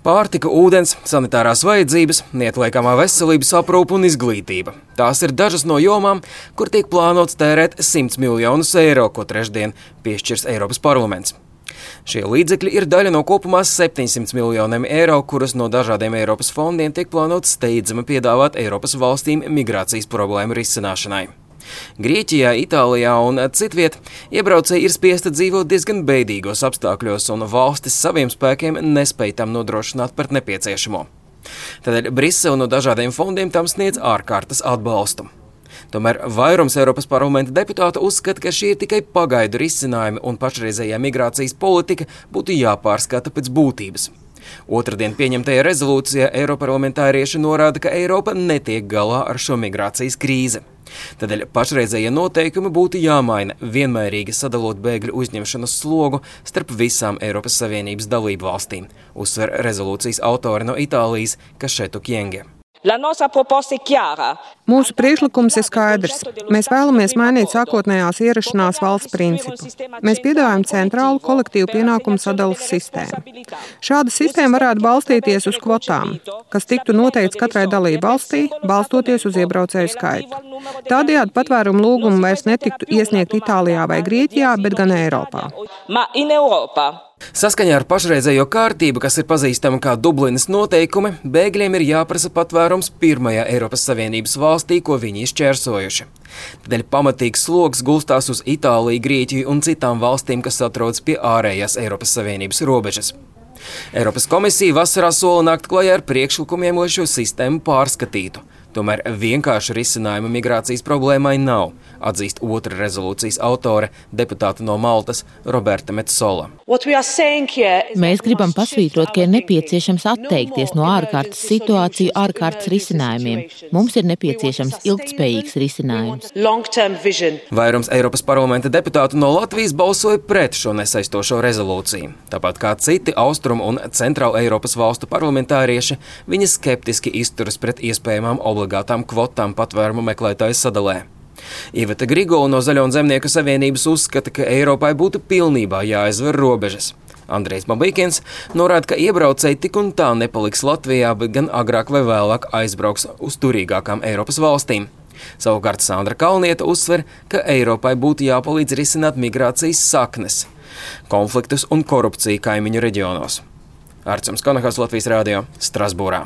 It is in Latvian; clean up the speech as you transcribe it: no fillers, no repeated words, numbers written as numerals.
Pārtika, ūdens, sanitārās vajadzības, neatliekamā veselības aprūpe un izglītība. Tās ir dažas no jomām, kur tiek plānots tērēt 100 miljonus eiro, ko trešdien piešķirs Eiropas parlaments. Šie līdzekļi ir daļa no kopumā 700 miljoniem eiro, kurus no dažādiem Eiropas fondiem tiek plānots steidzami piedāvāt Eiropas valstīm migrācijas problēmu risināšanai. Grieķijā, Itālijā un citviet iebraucēji ir spiesti dzīvot diezgan bēdīgos apstākļos, un valstis saviem spēkiem nespēj tam nodrošināt par nepieciešamo. Tādēļ Brisele no dažādiem fondiem tam sniedz ārkārtas atbalstu. Tomēr vairums Eiropas parlamenta deputātu uzskata, ka šie ir tikai pagaidu risinājumi un pašreizējā migrācijas politika būtu jāpārskata pēc būtības. Otradien pieņemtajā rezolūcijā eiroparlamentārieši norāda, ka Eiropa netiek galā ar šo migrācijas krīzi. Tādēļ pašreizējie noteikumi būtu jāmaina, vienmērīgi sadalot bēgļu uzņemšanas slogu starp visām Eiropas Savienības dalību valstīm, uzsver rezolūcijas autori no Itālijas Kašetu Kjenge. Mūsu priekšlikums ir skaidrs. Mēs vēlamies mainīt sākotnējās ierašanās valsts principu. Mēs piedāvājam centrālu kolektīvu pienākumu sadalas sistēmu. Šāda sistēma varētu balstīties uz kvotām, kas tiktu noteikts katrai dalību valstī, balstoties uz iebraucēju skaitu. Tādējādi patvērumu lūgumu vairs netiktu iesniegt Itālijā vai Grieķijā, bet gan Eiropā. Saskaņā ar pašreizējo kārtību, kas ir pazīstama kā Dublinas noteikumi, bēgļiem ir jāprasa patvērums pirmajā Eiropas Savienības valstī, ko viņi izšķērsojuši. Tādēļ pamatīgs sloks gulstās uz Itāliju, Grieķiju un citām valstīm, kas atrodas pie ārējās Eiropas Savienības robežas. Eiropas komisija vasarā sola nākt klajā ar priekšlikumiem, lai šo sistēmu pārskatītu. Tomēr vienkārši risinājuma migrācijas problēmai nav, atzīst otra rezolūcijas autore, deputāta no Maltas Roberta Metsola. Mēs gribam pasvītrot, ka ir nepieciešams atteikties no ārkārtas situāciju ārkārtas risinājumiem. Mums ir nepieciešams ilgtspējīgs risinājums. Vairums Eiropas parlamenta deputātu no Latvijas balsoja pret šo nesaistošo rezolūciju. Tāpat kā citi Austrumu un Centrāla Eiropas valstu parlamentārieši, viņi skeptiski izturas pret iespējamām obligātām kvotām patvērumu meklētāju sadalē. Iveta Grigula no Zaļo un Zemnieku savienības uzskata, ka Eiropai būtu pilnībā jāaizver robežas. Andrejs Babīkins norāda, ka iebraucēji tik un tā nepaliks Latvijā, bet gan agrāk vai vēlāk aizbrauks uz turīgākām Eiropas valstīm. Savukārt Sandra Kalnieta uzsver, ka Eiropai būtu jāpalīdz risināt migrācijas saknes, konfliktus un korupciju kaimiņu reģionos. Arcums Konahas, Latvijas Rādio, Strasbūrā.